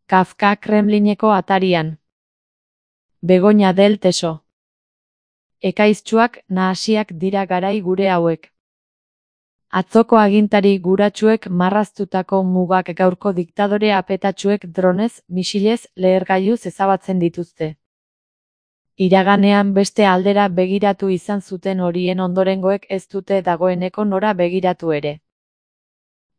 Kafka Kremlineko atarian. Begoña del Teso. Ekaiztsuak nahasiak dira garai gure hauek. Atzoko agintari guratsuek marraztutako mugak gaurko diktadore apetatsuek dronez, misilez, lehergailuz ezabatzen dituzte. Iraganean beste aldera begiratu izan zuten horien ondorengoek ez dute dagoeneko nora begiratu ere.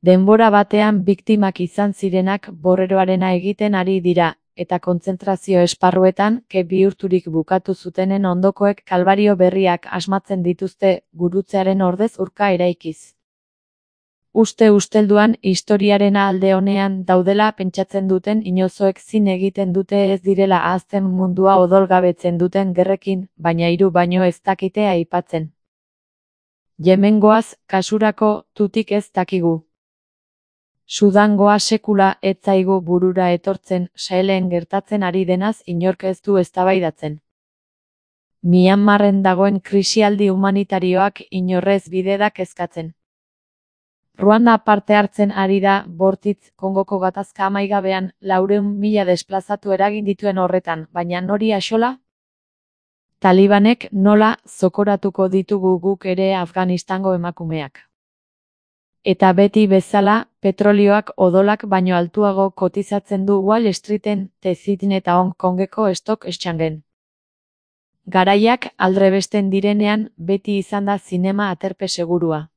Denbora batean biktimak izan zirenak borreroarena egiten ari dira, eta kontzentrazio esparruetan ke bihurturik bukatu zutenen ondokoek kalbario berriak asmatzen dituzte gurutzearen ordez urka eraikiz. Uste ustelduan historiaren alde honean daudela pentsatzen duten inozoek zin egiten dute ez direla ahazten mundua odolgabetzen duten gerrekin, baina hiru baino ez dakite aipatzen. Yemengoaz, kasurako, tutik ez dakigu. Sudangoa sekula ez zaigu burura etortzen, Sahelen gertatzen ari denaz inork ez du eztabaidatzen. Myanmarren dagoen krisialdi humanitarioak inorrez bide kezkatzen. Ruanda parte hartzen ari da, bortitz, Kongoko gatazka amaigabean, 400.000 desplazatu eragin dituen horretan, baina nori axola? Talibanek nola zokoratuko ditugu guk ere Afganistango emakumeak. Eta beti bezala, petrolioak odolak baino altuago kotizatzen du Wall Streeten, Tezitin eta Hong Kongeko stock exchangen. Garaiak aldrebesten direnean, beti izan da zinema aterpe segurua.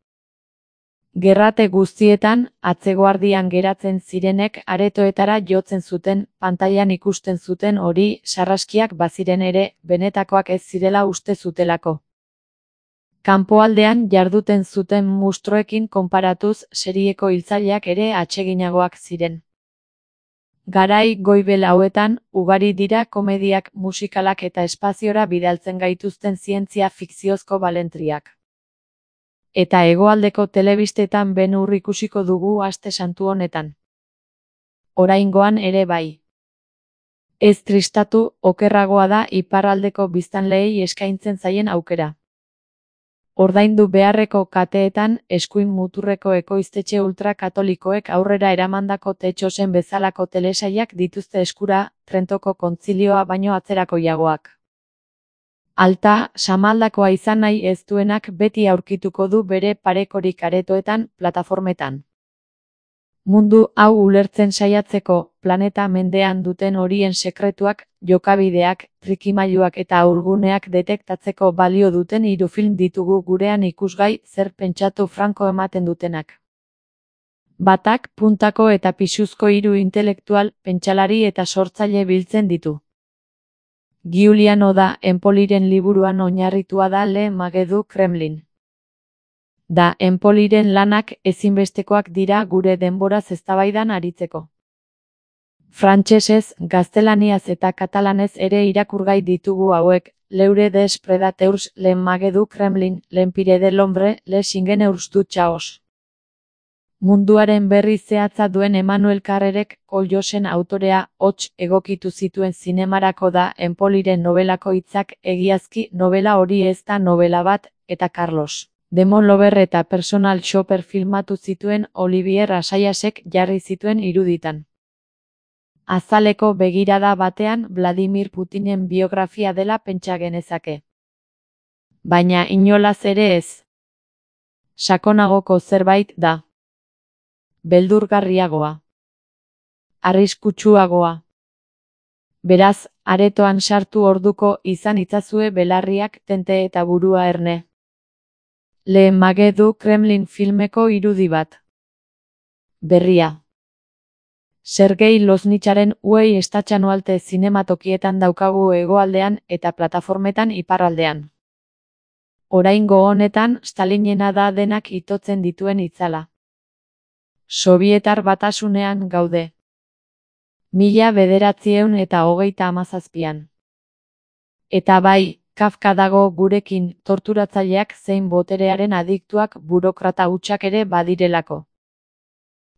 Gerrate guztietan, atzeguardian geratzen zirenek aretoetara jotzen zuten, pantailan ikusten zuten hori, sarraskiak baziren ere, benetakoak ez zirela uste zutelako. Kanpoaldean jarduten zuten mustroekin konparatuz, serieko hiltzaileak ere atseginagoak ziren. Garai goibel hauetan, ugari dira komediak, musikalak eta espaziora bidaltzen gaituzten zientzia fikziozko balentriak. Eta hegoaldeko telebistetan Ben-Hur ikusiko dugu aste santu honetan. Oraingoan ere bai. Ez tristatu, okerragoa da iparraldeko biztanleei eskaintzen zaien aukera. Ordaindu beharreko kateetan, eskuin muturreko ekoiztetxe ultrakatolikoek aurrera eramandako Tetxosen bezalako telesailak dituzte eskura, Trentoko kontzilioa baino atzerakoiagoak. Alta, samaldakoa izan nahi ez duenak beti aurkituko du bere parekorik aretoetan, plataformetan. Mundu hau ulertzen saiatzeko, planeta mendean duten horien sekretuak, jokabideak, trikimailuak eta aurguneak detektatzeko balio duten 3 film ditugu gurean ikusgai zer pentsatu franko ematen dutenak. Batak, puntako eta pisuzko 3 intelektual, pentsalari eta sortzaile biltzen ditu. Giuliano da Empoliren liburuan oinarritua da Le Magedu Kremlin. Da Empoliren lanak ezinbestekoak dira gure denboraz eztabaidan aritzeko. Frantsesez, gaztelaniaz eta katalanez ere irakurgai ditugu hauek, Leure des Predateurs, Le Magedu Kremlin, L'Empire de l'Hombre, Les Ingenieurs du Chaos. Munduaren berri zehatza duen Emmanuel Carrerek, Koljosen autorea, hots egokitu zituen zinemarako da Empoliren nobelako hitzak, egiazki nobela hori ez da nobela bat, eta Carlos Demon Lover eta Personal Shopper filmatu zituen Olivier Assayasek jarri zituen iruditan. Azaleko begirada batean Vladimir Putinen biografia dela pentsa genezake. Baina inolaz ere ez. Sakonagoko zerbait da. Beldurgarriagoa. Arriskutsuagoa. Beraz, aretoan sartu orduko izan itzazue belarriak tente eta burua erne. Le Magedu Kremlin filmeko irudi bat. Berria. Sergei Loznitxaren Uei estatxanualte zinematokietan daukagu hegoaldean eta plataformetan iparraldean. Oraingo honetan, Stalinena da denak itotzen dituen itzala. Sobietar batasunean gaude. 1937an. Eta bai, Kafka dago gurekin, torturatzaileak zein boterearen adiktuak burokrata hutsak ere badirelako.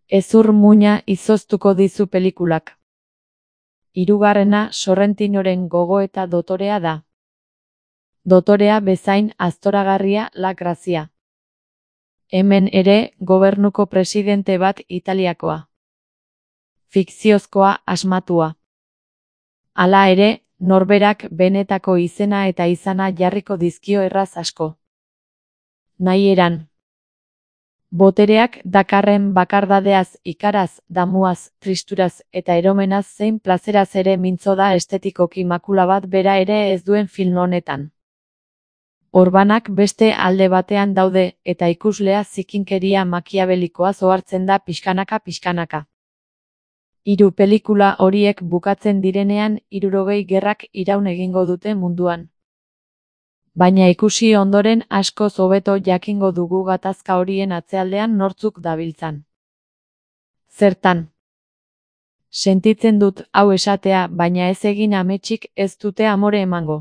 Hezur muina izoztuko dizu pelikulak. 3. Sorrentinoren gogoeta dotorea da. Dotorea bezain aztoragarria La Grazia. Hemen ere, gobernuko presidente bat Italiakoa. fikziozkoa, asmatua. Hala ere, norberak benetako izena eta izana jarriko dizkio erraz asko. Nahi eran. Botereak dakarren bakardadeaz, ikaraz, damuaz, tristuraz eta eromenaz zein plazeraz ere mintzo da estetikoki makula bat bera ere ez duen film honetan. Orbanak beste alde batean daude eta ikuslea zikinkeria makiabelikoaz ohartzen da pixkanaka. Hiru pelikula horiek bukatzen direnean 60 gerrak iraun egingo dute munduan. Baina ikusi ondoren askoz hobeto jakingo dugu gatazka horien atzealdean nortzuk dabiltzan. Zertan? Sentitzen dut hau esatea, baina ez egin ametsik ez dute amore emango.